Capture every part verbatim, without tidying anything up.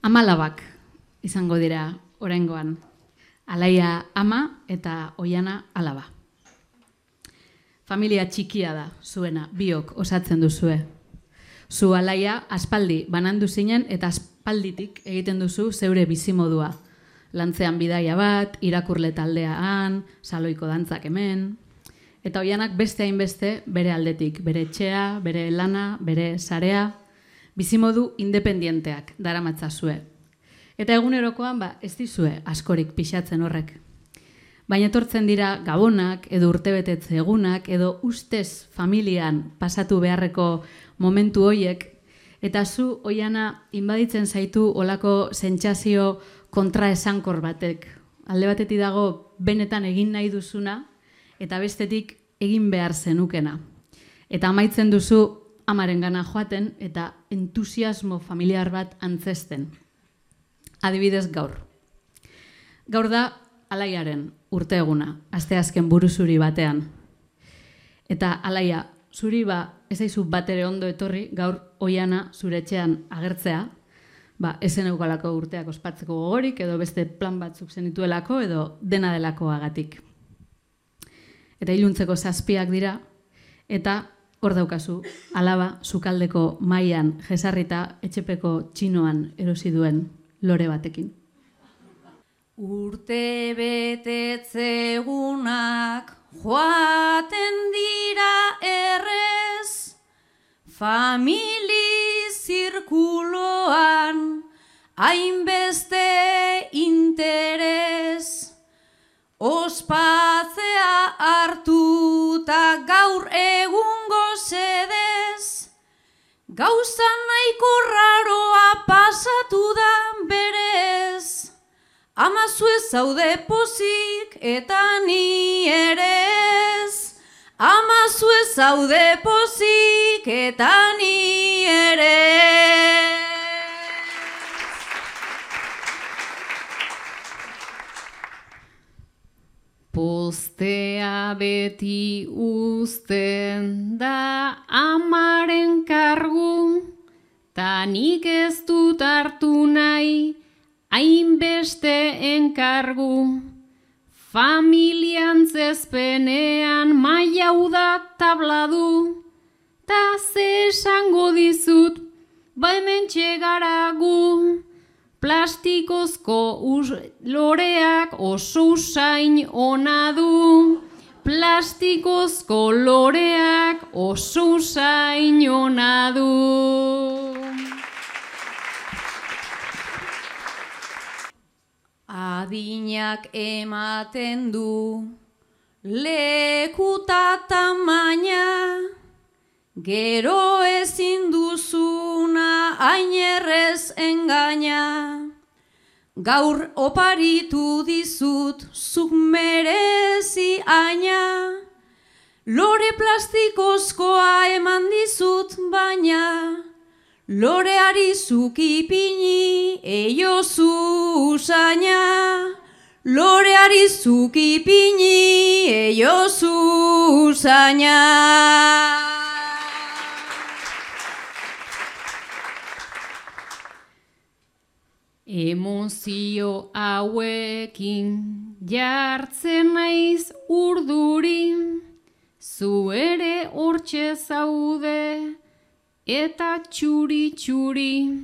Amalabak izango dira oraingoan. Alaia ama eta Oiana alaba. Familia txikia da zuena, biok osatzen duzue. Zu Alaia aspaldi banandu zinen eta aspalditik egiten duzu zeure bizimodua. Lantzean bidaia bat, irakurle taldean, saloiko dantzak hemen. Eta Oianak beste hainbeste bere aldetik, bere etxea, bere lana, bere sarea, bizimodu independienteak daramatzazue. Eta egunerokoan ba, ez dizue askorik pixatzen horrek. Baina etortzen dira gabonak, edo urtebetetze egunak, edo ustez familian pasatu beharreko momentu hoiek, eta zu, Oiana, inbaditzen zaitu olako sentsazio kontraesankor batek. Alde batetik dago benetan egin nahi duzuna, eta bestetik egin behar zenukena. Eta amaitzen duzu amarengana joaten eta entusiasmo familiar bat antzesten. Adibidez gaur. Gaur da Alaiaren urte eguna, asteazken buruzuri batean. Eta Alaia, zuri ba ez aizu batere ondo etorri gaur Oiana zure etxean agertzea, ba esen eukalako urteak ospatzeko gogorik edo beste plan batzuk zenituelako edo dena delakoagatik. Eta iluntzeko zazpiak dira, eta hor daukazu, alaba sukaldeko mailan jesarrita etxepeko txinoan erosi duen lore batekin. Urte betetzegunak joaten dira errez, famili zirkuloan hainbeste interes. Ospatzea hartuta gaur egungo sedez, gauza nahiko raroa pasatu da berez. Ama zu ez zaude pozik eta ni ere ez. Ama zu ez zaude pozik eta ni ere ez. Postea beti uzten da amaren kargu, ta nik ez dut hartu nahi hainbeste enkargu. Familian zezpenean maiau da tabladu, ta ze esango dizut, ba hemen txegaragu. Plastikozko loreak oso usain ona du. Plastikozko loreak oso usain ona du. Adinak ematen du lekuta tamaina, gero ezin duzuna ainerrez engaina. Gaur oparitu dizut zuk merezi aina, lore plastikozkoa eman dizut baina, loreari zuk ipini eiozu usaina. Loreari zuk ipini eiozu usaina. Emozio hauekin jartzen naiz urduri, zu ere hortxe zaude eta txuri-txuri.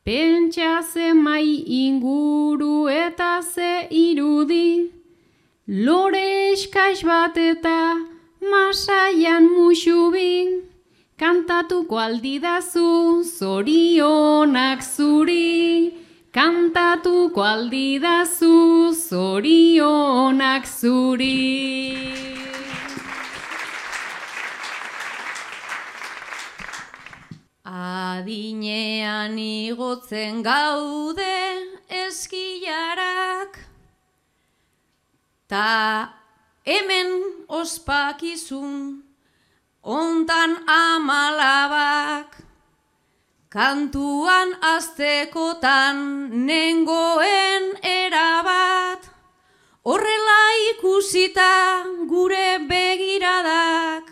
Pentsa ze mai inguru eta ze irudi, lore eskais bat eta masaian musubi. Kantatuko aldidazu zorionak zuri, kantatuko aldidazu zorionak zuri. Adinean igotzen gaude eskilarak, ta hemen ospakizun ontan amalabak. Kantuan aztekotan nengoen erabat, horrela ikusita gure begiradak.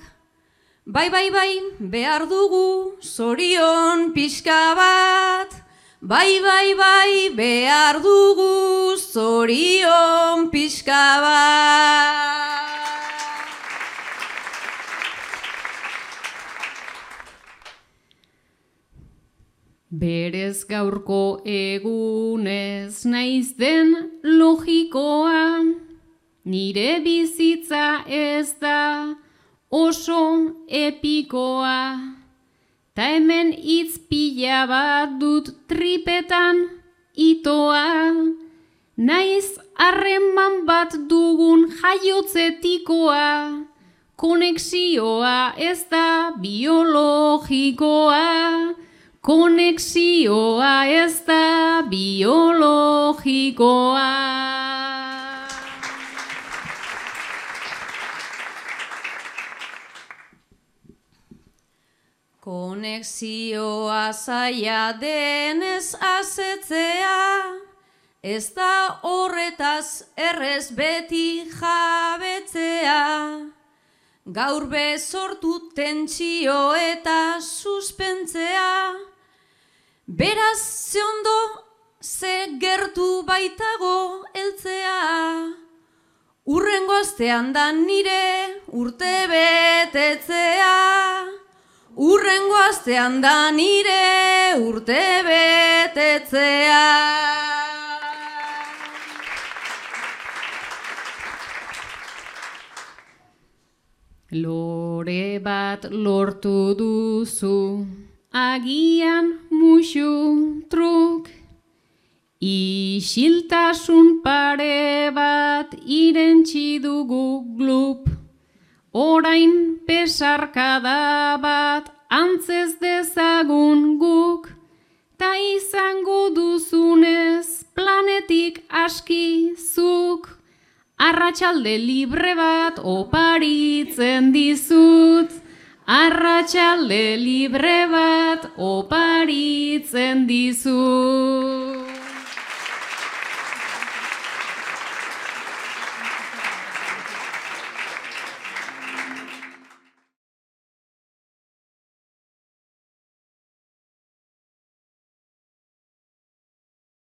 Bai, bai, bai, behar dugu zorion pixka bat. bai, bai, bai, behar dugu zorion pixka bat. Berez gaurko egunez naiz den logikoa, nire bizitza ez da oso epikoa, ta hemen hitz pila bat dut tripetan itoa, naiz harreman bat dugun jaiotzetikoa, konexioa ez da biologikoa, konexioa ez da biologikoa. Konexioa zaila denez azetzea, ez da horretaz errez beti jabetzea. Gaur bezortu tentsio eta suspentzea, beraz ze ondo ze gertu baitago heltzea. Urrengo astean da nire urte betetzea, urrengo astean da nire urte betetzea. Lore bat lortu duzu, agian musu truk, isiltasun pare bat irentsi dugu glup, orain pesarkada bat antzez dezagun guk, ta izango duzunez planetik aski zuk, arratsalde libre bat oparitzen dizut, arratsalde libre bat oparitzen dizut.